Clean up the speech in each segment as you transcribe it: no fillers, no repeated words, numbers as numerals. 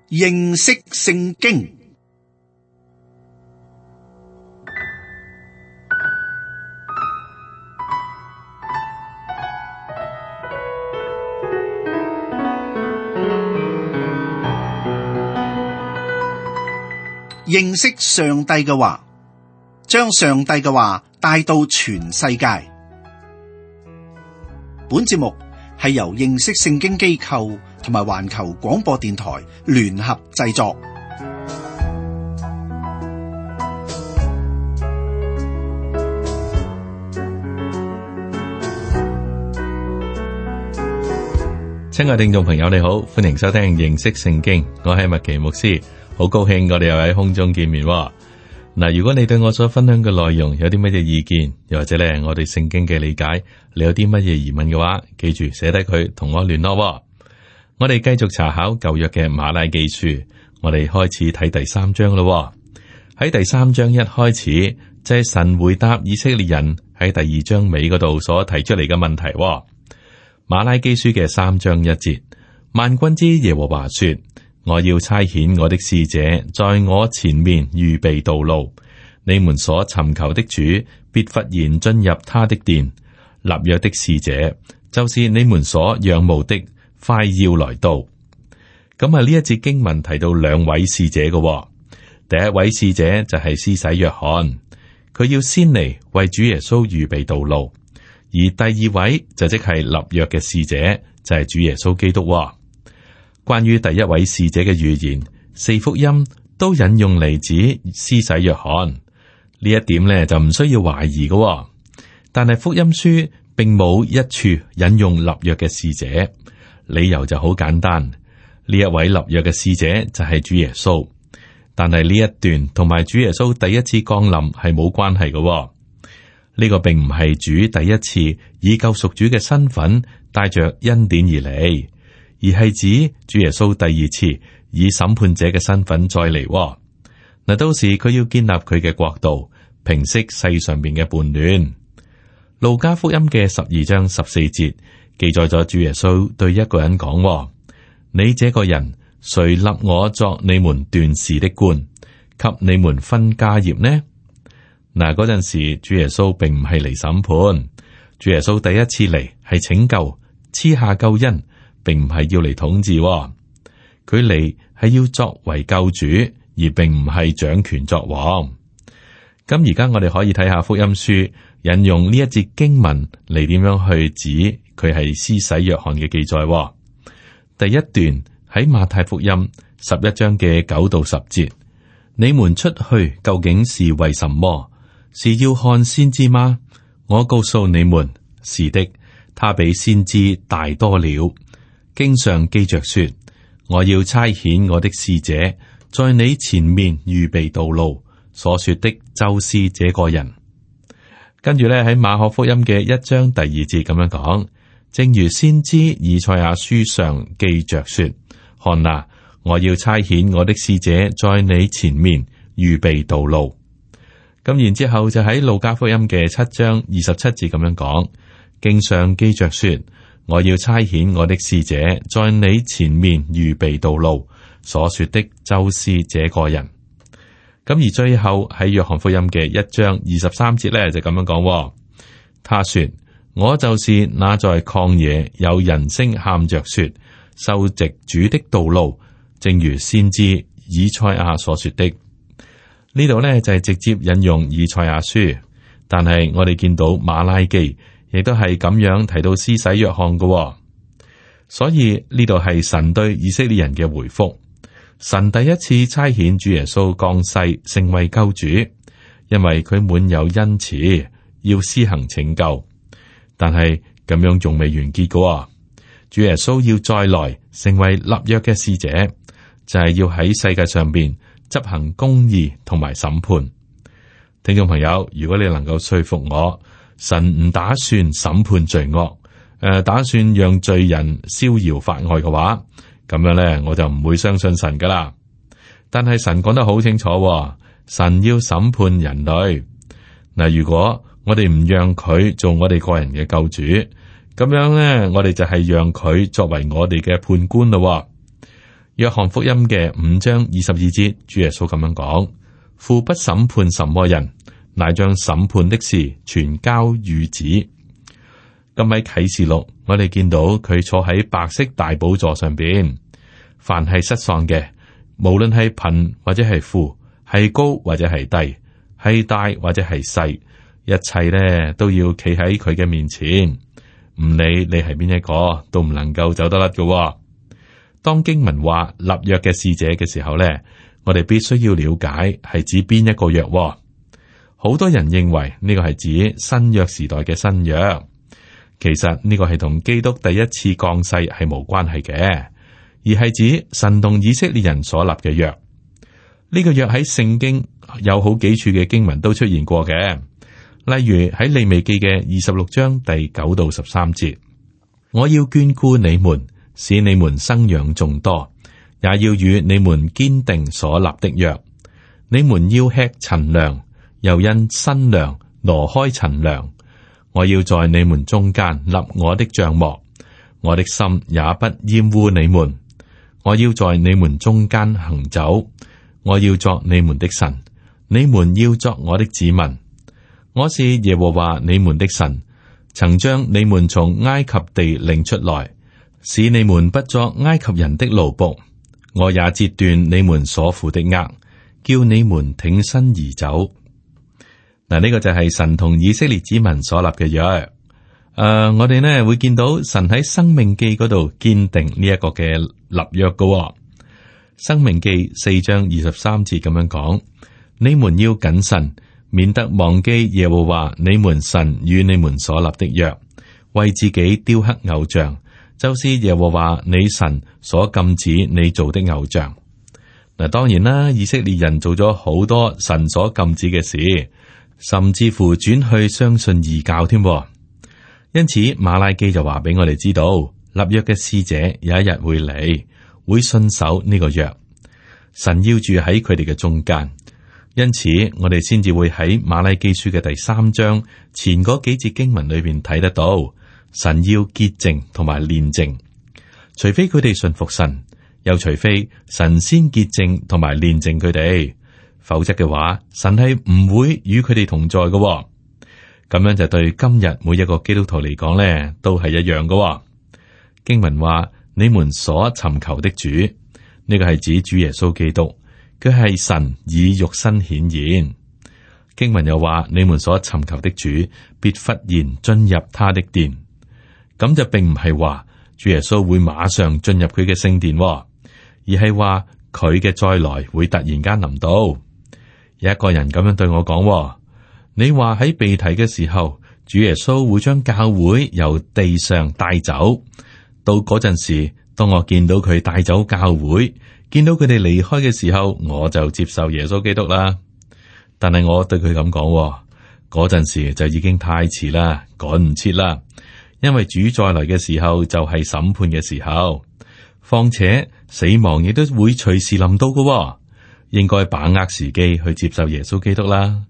認識聖經。認識上帝嘅話，將上帝嘅話帶到全世界。本節目係由認識聖經機構同埋環球廣播電台聯合製作。親愛聽眾朋友，你好，歡迎收聽認識聖經，我係麥奇牧師，好高興我哋又喺空中見面。嗱，如果你對我所分享嘅內容有啲乜嘢意見，又或者咧我對聖經嘅理解，你有啲乜嘢疑問嘅話，記住寫低佢同我聯絡。我哋繼續查考舊約嘅馬拉基書，我哋開始睇第3章咯。喺第3章一開始，就係神回答以色列人喺第2章尾嗰度所提出嚟嘅問題。馬拉基書嘅3章1節，萬軍之耶和華說：我要差遣我的使者在我前面預備道路，你們所尋求的主必忽然進入他的殿。立約的使者就是你們所仰慕的，快要來到。咁啊，呢一節經文提到2位使者嘅，第一位使者就係施洗約翰，佢要先嚟為主耶穌預備道路；而第2位就即係立約嘅使者，就係主耶穌基督。關於第一位使者嘅預言，4福音都引用嚟自施洗約翰，呢一點呢就唔需要懷疑嘅。但係福音書並冇一處引用立約嘅使者，理由就好簡單，呢一位立約嘅使者就係主耶穌。但係呢一段同埋主耶穌第一次降臨係冇關係嘅。呢個並唔係主第一次以救贖主嘅身份帶着恩典而嚟，而係指主耶穌第2次以審判者嘅身份再嚟。嗱，到時佢要建立佢嘅國度，平息世上邊嘅叛亂。路加福音嘅12章14節記載咗主耶穌對一個人講：你這個人，誰立我作你們斷事的官，給你們分家業呢？嗱，嗰陣時主耶穌並唔係嚟審判，主耶穌第一次嚟係拯救，賜下救恩，並唔係要嚟統治。佢嚟係要作為救主，而並唔係掌權作王。咁而家我哋可以睇下福音書引用呢一節經文嚟點樣去指佢係施洗約翰嘅記載。第一段喺馬太福音11章嘅9到10節，你們出去究竟是為什麼？是要看先知嗎？我告訴你們，是的，他比先知大多了。經上記着說：我要差遣我的使者在你前面預備道路。所說的就是這個人。跟住咧喺馬可福音嘅1章第2節咁樣講，正如先知以賽亞書上記着說：看哪，我要差遣我的使者在你前面預備道路。咁然之後就喺路加福音嘅7章27節咁樣講，經上記着說：我要差遣我的使者在你前面預備道路。所說的就是這個人。咁而最後喺約翰福音嘅1章23節咧就咁樣講，他說：我就是那在曠野有人聲喊着說，修直主的道路，正如先知以賽亞所說的。呢度呢就係直接引用以賽亞書，但係我哋見到馬拉基亦都係咁樣提到施洗約翰嘅，所以呢度係神對以色列人嘅回覆。神第一次差遣主耶穌降世成為救主，因為佢滿有恩慈，要施行拯救。但係咁樣仲未完結嘅，主耶穌要再來成為立約嘅使者，就係要喺世界上邊執行公義同埋審判。聽眾朋友，如果你能夠說服我，神唔打算審判罪惡，打算讓罪人逍遙法外嘅話，咁樣咧，我就唔會相信神噶啦。但係神講得好清楚，神要審判人類。嗱，如果我哋唔讓佢做我哋個人嘅救主，咁樣咧，我哋就係讓佢作為我哋嘅判官咯。約翰福音嘅5章22節，主耶穌咁樣講：父不審判什麼人，乃將審判的事全交與子。咁喺啟示錄，我哋見到佢坐喺白色大寶座上邊，凡係失喪嘅，無論係貧或者係富，係高或者係低，係大或者係細，一切咧都要企喺佢嘅面前，唔理你係邊一個，都唔能夠走得甩嘅。當經文話立約嘅使者嘅時候咧，我哋必須要了解係指邊一個約。好多人認為呢個係指新約時代嘅新約。其實呢個係同基督第一次降世係無關係嘅，而係指神同以色列人所立嘅約。呢個約喺聖經有好幾處嘅經文都出現過嘅，例如喺利未記嘅26章第9到13節，我要眷顧你們，使你們生養眾多，也要與你們堅定所立的約。你們要吃陳糧，又因新糧挪開陳糧。我要在你們中間立我的帳幕，我的心也不厭惡你們。我要在你們中間行走，我要作你們的神，你們要作我的子民。我是耶和華你們的神，曾將你們從埃及地領出來，使你們不作埃及人的奴僕。我也折斷你們所負的軛，叫你們挺身而走。嗱，呢個就係神同以色列子民所立嘅約。我哋呢會見到神喺申命記嗰度堅定呢一個嘅立約嘅。申命記4章23節咁樣講：你們要謹慎，免得忘記耶和華你們神與你們所立的約，為自己雕刻偶像，就是耶和華你神所禁止你做的偶像。嗱，當然啦，以色列人做咗好多神所禁止嘅事。甚至乎轉去相信異教添，因此馬拉基就話俾我哋知道，立約嘅使者有一日會嚟，會信守呢個約。神要住喺佢哋嘅中間，因此我哋先至會喺馬拉基書嘅第3章前嗰幾節經文裏邊睇得到，神要潔淨同埋煉淨，除非佢哋信服神，又除非神先潔淨同埋煉淨佢哋。否則嘅話，神係唔會與佢哋同在嘅。咁樣就對今日每一個基督徒嚟講咧，都係一樣嘅。經文話：你們所尋求的主，呢個係指主耶穌基督，佢係神以肉身顯現。經文又話：你們所尋求的主，必忽然進入他的殿。咁就並唔係話主耶穌會馬上進入佢嘅聖殿，而係話佢嘅再來會突然間臨到。有一個人咁樣對我講：你話喺被提嘅時候，主耶穌會將教會由地上帶走。到嗰陣時，當我見到佢帶走教會，見到佢哋離開嘅時候，我就接受耶穌基督啦。但係我對佢咁講，嗰陣時就已經太遲啦，趕唔切啦。因為主再來嘅時候就係審判嘅時候，況且死亡亦都會隨時臨到嘅。應該把握時機去接受耶穌基督啦。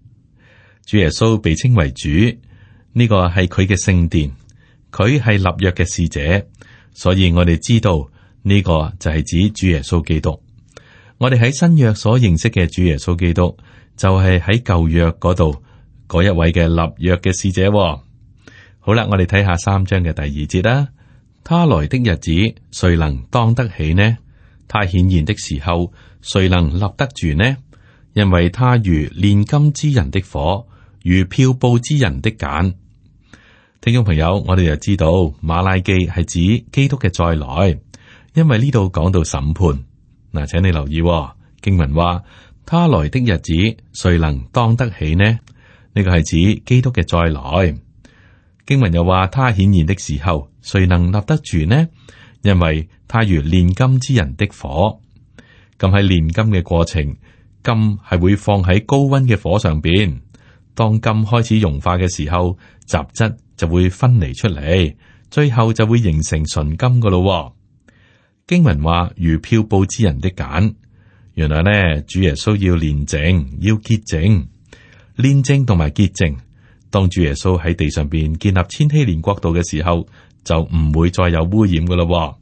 主耶穌被稱為主，呢個係佢嘅聖殿，佢係立約嘅使者，所以我哋知道呢個就係指主耶穌基督。我哋喺新約所認識嘅主耶穌基督，就係喺舊約嗰度嗰一位嘅立約嘅使者。好啦，我哋睇下3章嘅第2節啦。他來的日子，誰能當得起呢？他顯現的時候，誰能立得住呢？因為他如煉金之人的火，如漂布之人的鹼。聽眾朋友，我哋就知道馬拉基係指基督嘅再來，因為呢度講到審判。嗱，請你留意經文話：他來的日子，誰能當得起呢？呢個係指基督嘅再來。經文又話：他顯現的時候，誰能立得住呢？因為他如煉金之人的火。咁喺煉金嘅過程，金係會放喺高溫嘅火上邊。當金開始融化嘅時候，雜質就會分離出嚟，最後就會形成純金噶咯。經文話如漂布之人的鹼，原來呢，主耶穌要煉淨，要潔淨，煉淨同埋潔淨。當主耶穌喺地上邊建立千禧年國度嘅時候，就唔會再有污染噶咯。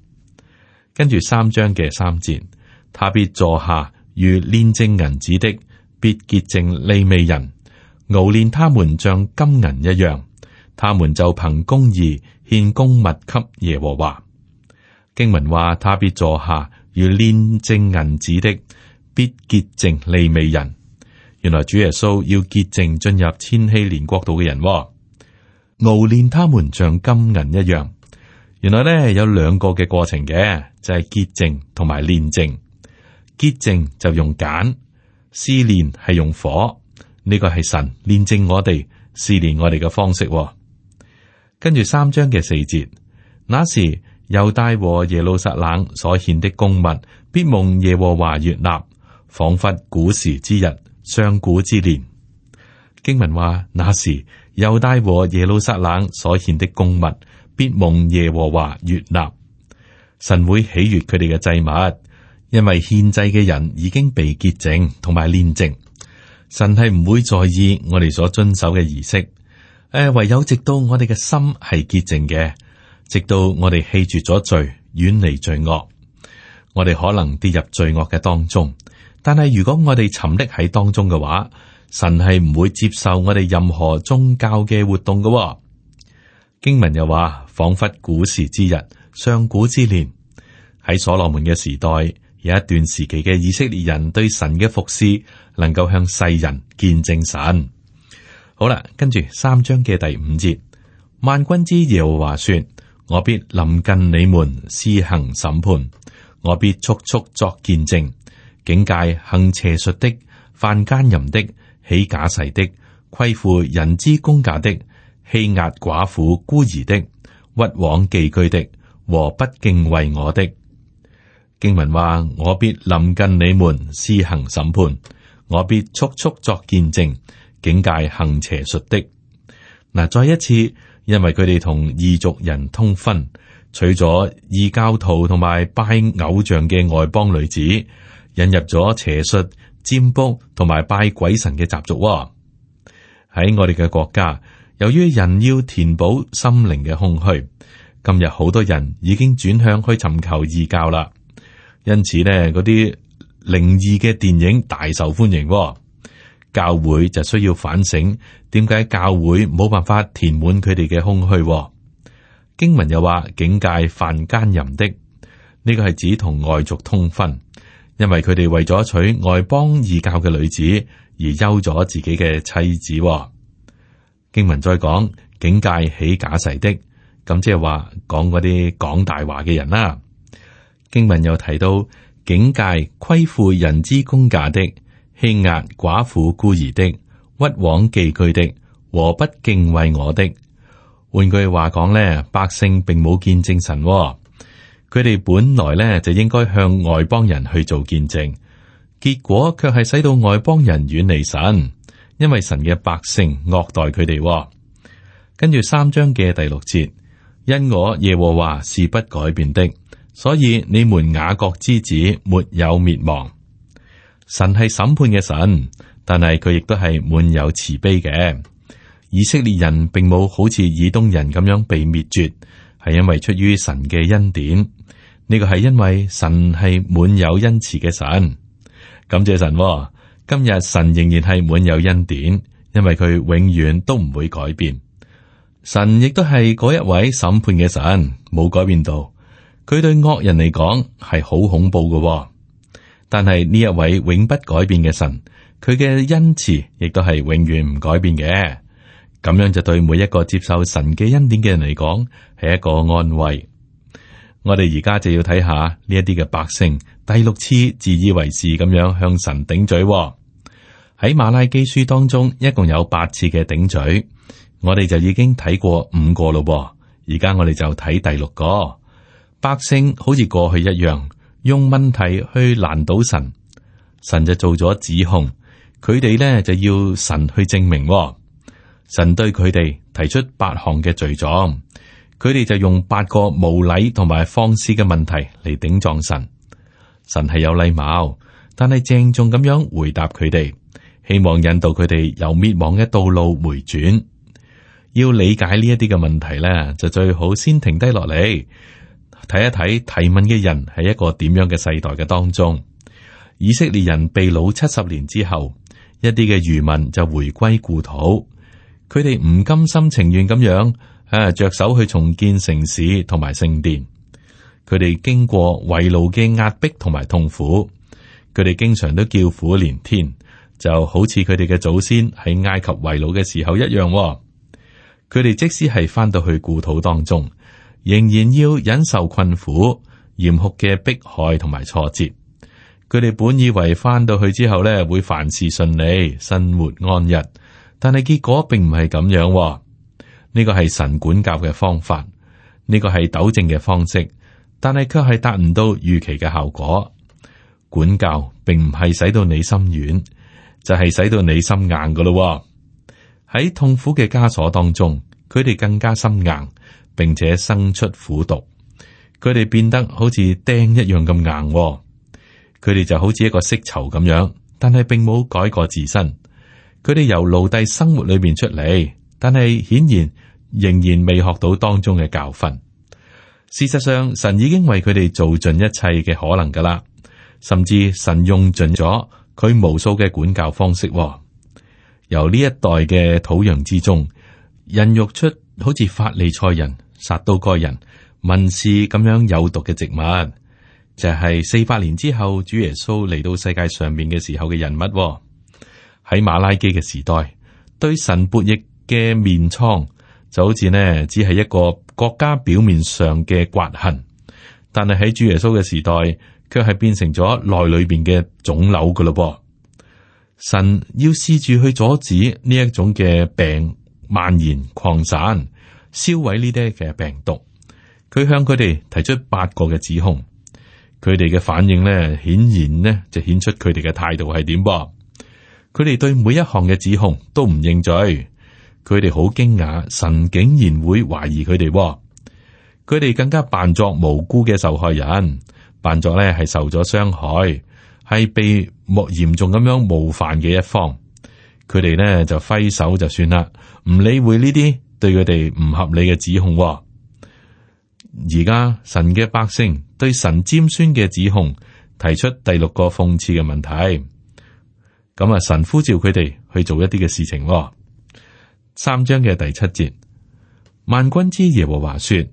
跟住3章嘅3節，他必坐下如煉淨銀子的，必潔淨利未人，熬煉他們像金銀一樣，他們就憑公義獻供物給耶和華。經文話，他必坐下如煉淨銀子的，必潔淨利未人。原來主耶穌要潔淨進入千禧年國度嘅人，熬煉他們像金銀一樣。原來咧有兩個嘅過程嘅，就係潔淨同埋煉淨。潔淨就用鹼，試煉係用火。呢個係神煉淨我哋、試煉我哋嘅方式。跟住3章嘅4節，那時猶大和耶路撒冷所獻的供物，必蒙耶和華悅納，仿佛古時之日、上古之年。經文話，那時猶大和耶路撒冷所獻的供物，必蒙耶和華悅納。神會喜悅佢哋嘅祭物，因為獻祭嘅人已經被潔淨同埋煉淨。神係唔會在意我哋所遵守嘅儀式，唯有直到我哋嘅心係潔淨嘅，直到我哋棄絕咗罪，遠離罪惡。我哋可能跌入罪惡嘅當中，但係如果我哋沉溺喺當中嘅話，神係唔會接受我哋任何宗教嘅活動嘅。經文又話，仿佛古時之日、上古之年。喺所羅門嘅時代，有一段時期嘅以色列人對神嘅服侍，能夠向世人見證神。好啦，跟住3章嘅第5節，萬軍之耶和華說：我必臨近你們施行審判，我必速速作見證，警戒行邪術的、犯奸淫的、起假誓的、虧負人之公價的、欺壓寡婦孤兒的、屈枉寄居的和不敬畏我的。經文話：我必臨近你們施行審判，我必速速作見證，警戒行邪術的。嗱，再一次，因為佢哋同異族人通婚，娶咗異教徒同埋拜偶像嘅外邦女子，引入咗邪術、占卜同埋拜鬼神嘅習俗。喺我哋嘅國家，由於人要填補心靈嘅空虛，今日好多人已經轉向去尋求異教啦。因此呢，嗰啲靈異嘅電影大受歡迎。教會就需要反省，點解教會冇辦法填滿佢哋嘅空虛？經文又話，警戒犯奸淫的，呢個係指同外族通婚，因為佢哋為咗娶外邦異教嘅女子而休咗自己嘅妻子。經文再講，警戒起假誓的，咁即係話講嗰啲講大話嘅人啦。經文又提到，警戒虧負人之公價的、欺壓寡婦孤兒的、屈枉寄居的和不敬畏我的。換句話講咧，百姓並冇見證神，佢哋本來咧就應該向外邦人去做見證，結果卻係使到外邦人遠離神，因為神嘅百姓惡待佢哋。跟住3章嘅第6節，因我耶和華是不改變的，所以你們雅各之子沒有滅亡。神係審判嘅神，但係佢亦都係滿有慈悲嘅。以色列人並冇好似以東人咁樣被滅絕，係因為出於神嘅恩典。呢個係因為神係滿有恩慈嘅神。感謝神，今日神仍然係滿有恩典，因為佢永遠都唔會改變。神亦都係嗰一位審判嘅神，冇改變到。佢對惡人嚟講係好恐怖嘅，但係呢一位永不改變嘅神，佢嘅恩慈亦都係永遠唔改變嘅。咁樣就對每一個接受神嘅恩典嘅人嚟講係一個安慰。我哋而家就要睇下呢一啲嘅百姓第6次自以為是咁樣向神頂嘴。喺馬拉基書當中，一共有8次嘅頂嘴，我哋就已經睇過5個咯。而家我哋就睇第6個。百姓好似過去一樣，用問題去難倒神，神就做咗指控，佢哋呢就要神去證明。神對佢哋提出8項嘅罪狀，佢哋就用8個無禮同埋放肆嘅問題嚟頂撞神。神係有禮貌，但係鄭重咁樣回答佢哋，希望引導佢哋由滅亡嘅道路回轉。要理解呢一啲嘅問題呢，就最好先停低落嚟，睇一睇提問嘅人係一個點樣嘅世代嘅當中。以色列人被擄70年之後，一啲嘅餘民就回歸故土，佢哋唔甘心情願咁樣着手去重建城市同埋聖殿。佢哋經過為奴嘅壓迫同埋痛苦，佢哋經常都叫苦連天，就好似佢哋嘅祖先喺埃及為奴嘅時候一樣。佢哋即使係翻到去故土當中，仍然要忍受困苦、嚴酷嘅迫害同埋挫折。佢哋本以為翻到去之後咧，會凡事順利、生活安逸，但係結果並唔係咁樣。呢個係神管教嘅方法，呢個係糾正嘅方式，但係卻係達唔到預期嘅效果。管教並唔係使到你心軟，就係使到你心硬噶咯。喺痛苦嘅枷鎖當中，佢哋更加心硬，並且生出苦毒。佢哋變得好似釘一樣咁硬。佢哋就好似一個色囚咁樣，但係並冇改過自身。佢哋由奴隸生活裏邊出嚟，但係顯然仍然未學到當中嘅教訓。事實上，神已經為佢哋做盡一切嘅可能噶啦，甚至神用盡咗佢無數嘅管教方式。由呢一代嘅土壤之中，孕育出好似法利賽人、撒都該人、文士咁樣有毒嘅植物。就係400年之後，主耶穌嚟到世界上面嘅時候嘅人物。喺馬拉基嘅時代，對神悖逆嘅面瘡就好似呢，只係一個國家表面上嘅刮痕，但係喺主耶穌嘅時代，卻係變成咗內裏邊嘅腫瘤噶咯。神要試住去阻止呢一種嘅病蔓延擴散，燒毀呢啲嘅病毒。佢向佢哋提出8個嘅指控。佢哋嘅反應咧，顯然呢就顯出佢哋嘅態度係點噃。佢哋對每一項嘅指控都唔認罪，佢哋好驚訝，神竟然會懷疑佢哋。佢哋更加扮作無辜嘅受害人，扮作咧係受咗傷害，係被嚴重咁樣冒犯嘅一方。佢哋咧就揮手就算啦，唔理會呢啲對佢哋唔合理嘅指控。而家神嘅百姓對神尖酸嘅指控提出第6個諷刺嘅問題，咁神呼召佢哋去做一啲嘅事情。3章嘅第7節，萬軍之耶和華說：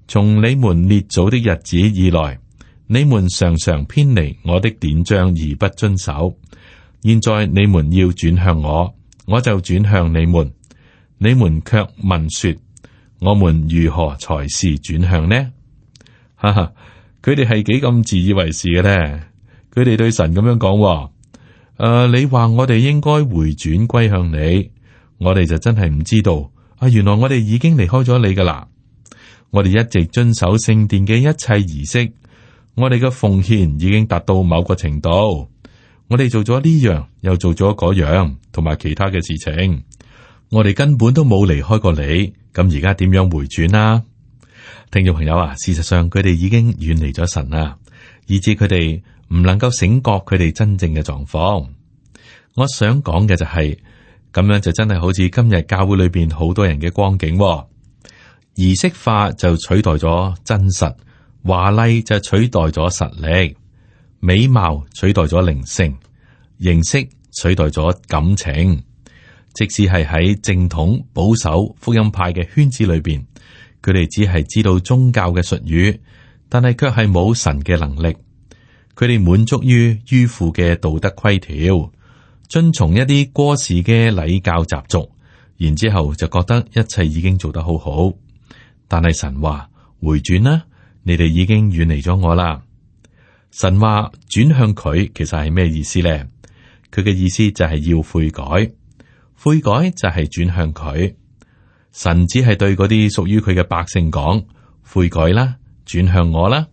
從你們列祖的日子以來，你們常常偏離我的典章而不遵守。現在你們要轉向我，我就轉向你們。你們卻問說：我們如何才是轉向呢？哈哈，佢哋係幾咁自以為是嘅咧？佢哋對神咁樣講：你話我哋應該回轉歸向你，我哋就真係唔知道。原來我哋已經離開咗你噶啦。我哋一直遵守聖殿嘅一切儀式，我哋嘅奉獻已經達到某個程度。我哋做咗呢樣，又做咗嗰樣，同埋其他嘅事情。我哋根本都冇離開過你，咁而家點樣回轉啊？聽眾朋友啊，事實上佢哋已經遠離咗神啦，以致佢哋唔能夠醒覺佢哋真正嘅狀況。我想講嘅就係，咁樣就真係好似今日教會裏邊好多人嘅光景，儀式化就取代咗真實，華麗就取代咗實力，美貌取代咗靈性，形式取代咗感情。即使係喺正統保守福音派嘅圈子裏邊，佢哋只係知道宗教嘅術語，但係卻係冇神嘅能力。佢哋滿足於迂腐嘅道德規條，遵從一啲過時嘅禮教習俗，然之後就覺得一切已經做得好好。但係神話回轉啦，你哋已經遠離咗我啦。神話轉向佢，其實係咩意思咧？佢嘅意思就係要悔改。悔改就係轉向佢，神只係對嗰啲屬於佢嘅百姓講：悔改啦，轉向我啦。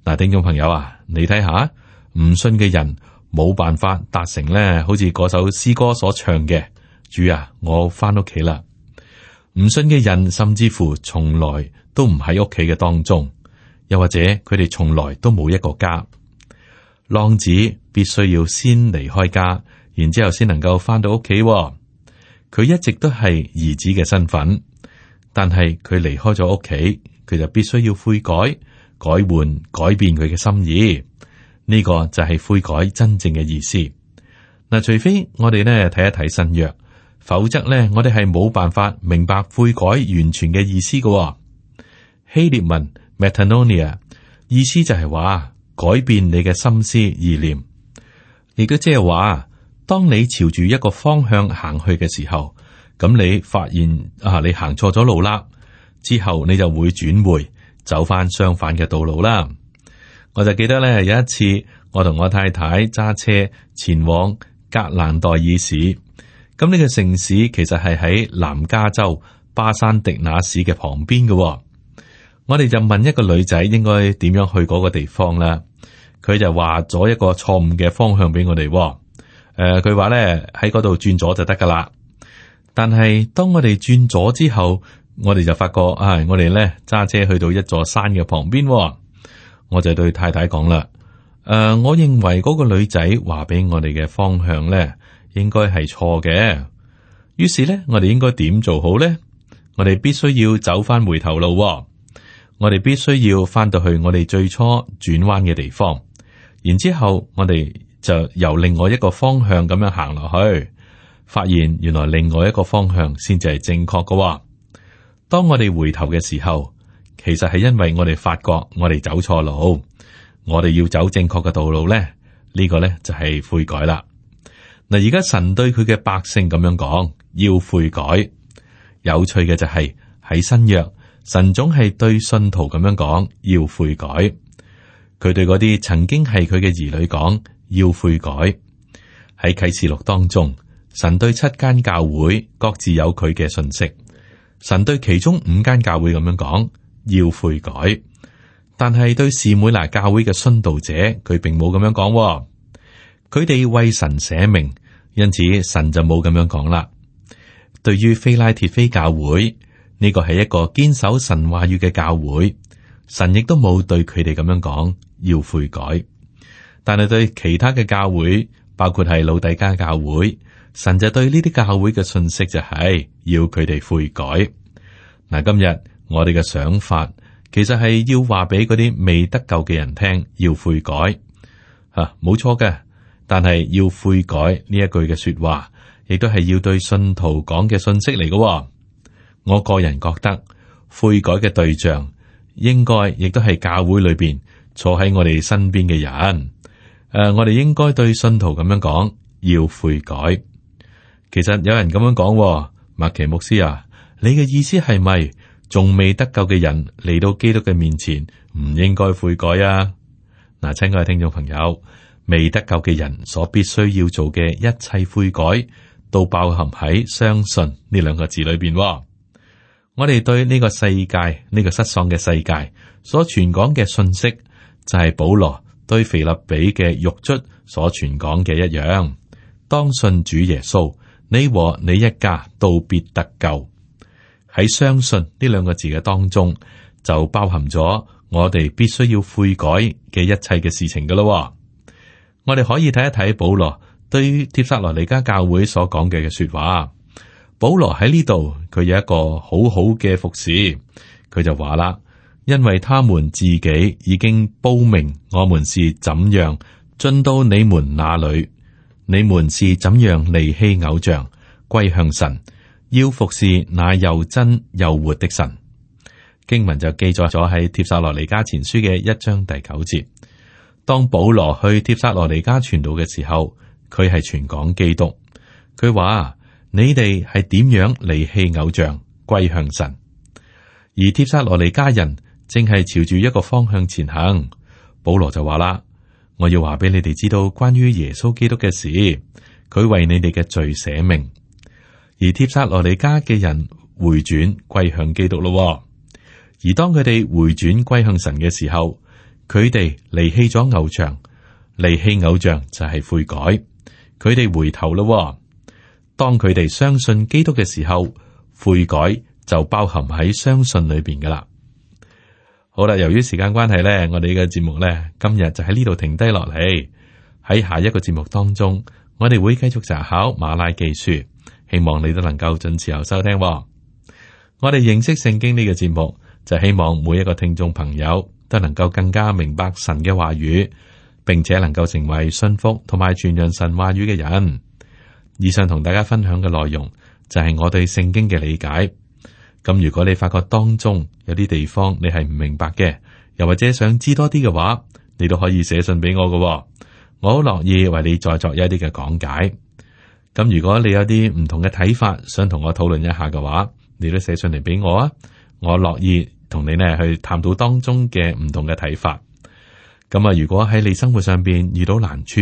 嗱，聽眾朋友啊，你睇下，唔信嘅人冇辦法達成咧，好似嗰首詩歌所唱嘅：主啊，我翻屋企啦。唔信嘅人甚至乎從來都唔喺屋企嘅當中，又或者佢哋從來都冇一個家。浪子必須要先離開家，然之後先能夠翻到屋企。佢一直都係兒子嘅身份，但係佢離開咗屋企，佢就必須要悔改，改變佢嘅心意。呢個就係悔改真正嘅意思。嗱，除非我哋呢睇一睇新約，否則呢我哋係冇辦法明白悔改完全嘅意思嘅。希臘文 metanoia 意思就係話改變你嘅心思意念，亦都即係話，當你朝住一個方向行去嘅時候，咁你發現你行錯咗路啦，之後你就會轉回走翻相反嘅道路啦。我就記得咧，有一次我同我太太揸車前往格蘭代爾市，咁呢個城市其實係喺南加州巴山迪那市嘅旁邊嘅。我哋就問一個女仔應該點樣去嗰個地方啦，佢就話咗一個錯誤嘅方向俾我哋。佢話咧喺嗰度轉左就得噶啦。但係當我哋轉左之後，我哋就發覺我哋咧揸車去到一座山嘅旁邊。我就對太太講啦，我認為嗰個女仔話俾我哋嘅方向咧，應該係錯嘅。於是咧，我哋應該點做好咧？我哋必須要走翻回頭路。我哋必須要翻到去我哋最初轉彎嘅地方，然之後我哋就由另外一個方向咁樣行落去，發現原來另外一個方向先至係正確嘅。當我哋回頭嘅時候，其實係因為我哋發覺我哋走錯路，我哋要走正確嘅道路咧，呢個咧就係悔改啦。嗱，而家神對佢嘅百姓咁樣講，要悔改。有趣嘅就係喺新約，神總係對信徒咁樣講，要悔改。佢對嗰啲曾經係佢嘅兒女講，要悔改。喺啟示錄當中，神對7間教會各自有佢嘅信息。神對其中5間教會咁樣講，要悔改，但係對士每拿教會嘅殉道者，佢並冇咁樣講。佢哋為神捨命，因此神就冇咁樣講啦。對於非拉鐵非教會，呢個係一個堅守神話語嘅教會，神亦都冇對佢哋咁樣講，要悔改。但係對其他嘅教會，包括係老底嘉教會，神就對呢啲教會嘅信息就係要佢哋悔改。嗱，今日我哋嘅想法其實係要話俾嗰啲未得救嘅人聽，要悔改冇錯嘅。但係要悔改呢一句嘅說話，亦都係要對信徒講嘅信息嚟嘅。我個人覺得悔改嘅對象應該亦都係教會裏邊坐喺我哋身邊嘅人。我哋應該對信徒咁樣講，要悔改。其實有人咁樣講，麥奇牧師啊，你嘅意思係咪仲未得救嘅人嚟到基督嘅面前唔應該悔改啊？嗱，親愛嘅聽眾朋友，未得救嘅人所必須要做嘅一切悔改，都包含喺相信呢2個字裏邊。我哋對呢個世界，呢個失喪嘅世界所傳講嘅信息，就係保羅對腓立比嘅獄卒所傳講嘅一樣。當信主耶穌，你和你一家都必得救。喺相信呢2個字嘅當中，就包含咗我哋必須要悔改嘅一切嘅事情噶咯。我哋可以睇一睇保羅對於帖撒羅尼迦教會所講嘅說話。保羅喺呢度，佢有一個好好嘅服侍，佢就話啦，因為他們自己已經報明我們是怎樣進到你們那裏，你們是怎樣離棄偶像，歸向神，要服侍那又真又活的神。經文就記載咗喺帖撒羅尼迦前書嘅1章第9節。當保羅去帖撒羅尼迦傳道嘅時候，佢係傳講基督。佢話，你哋係點樣離棄偶像，歸向神？而帖撒羅尼迦人正係朝住一個方向前行。保羅就話啦，我要話俾你哋知道關於耶穌基督嘅事，佢為你哋嘅罪捨命。而帖撒羅尼迦嘅人回轉歸向基督咯。而當佢哋回轉歸向神嘅時候，佢哋離棄咗偶像，離棄偶像就係悔改，佢哋回頭咯。當佢哋相信基督嘅時候，悔改就包含喺相信裏邊噶啦。好啦，由於時間關係咧，我哋嘅節目咧今日就喺呢度停低落嚟。喺下一個節目當中，我哋會繼續查考馬拉基書，希望你都能夠準時收聽。我哋認識聖經呢個節目，就希望每一個聽眾朋友都能夠更加明白神嘅話語，並且能夠成為信服同埋傳揚神話語嘅人。以上同大家分享嘅內容就係我對聖經嘅理解。咁如果你發覺當中有啲地方你係唔明白嘅，又或者想知多啲嘅話，你都可以寫信俾我嘅，我好樂意為你再作一啲嘅講解。咁如果你有啲唔同嘅睇法，想同我討論一下嘅話，你都寫信嚟俾我啊，我樂意同你呢去探討當中嘅唔同嘅睇法。咁啊，如果喺你生活上邊遇到難處，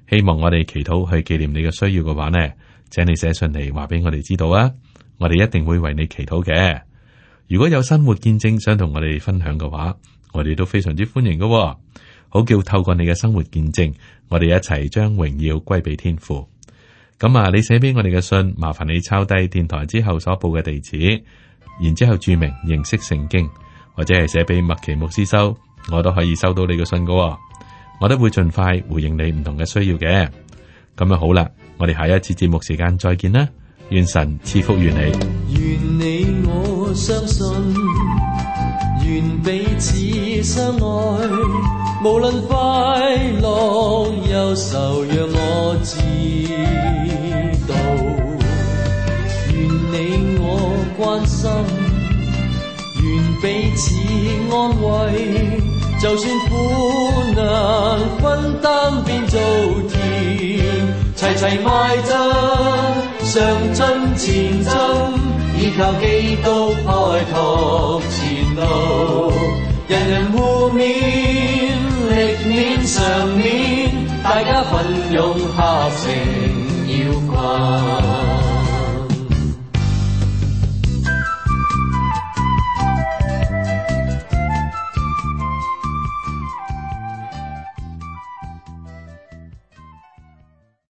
希望我哋祈禱去紀念你嘅需要嘅話呢，請你寫信嚟話俾我哋知道啊，我哋一定會為你祈禱嘅。如果有生活見證想同我哋分享嘅話，我哋都非常之歡迎嘅。好叫透過你嘅生活見證，我哋一齊將榮耀歸俾天父。咁啊，你寫俾我哋嘅信，麻煩你抄低電台之後所報嘅地址，然之後注明認識聖經，或者係寫俾麥奇牧師收，我都可以收到你嘅信嘅。我都會盡快回應你唔同嘅需要嘅。咁啊好啦，我哋下一次節目時間再見啦，願神賜福於你。願你我相信，願彼此相愛，無論快樂憂愁，讓我知道。願你我關心，願彼此安慰，就算苦難分擔變做甜，齊齊邁進，上進前進，依靠基督開拓前路，人人互勉，力勉常勉，大家奮勇合成要群。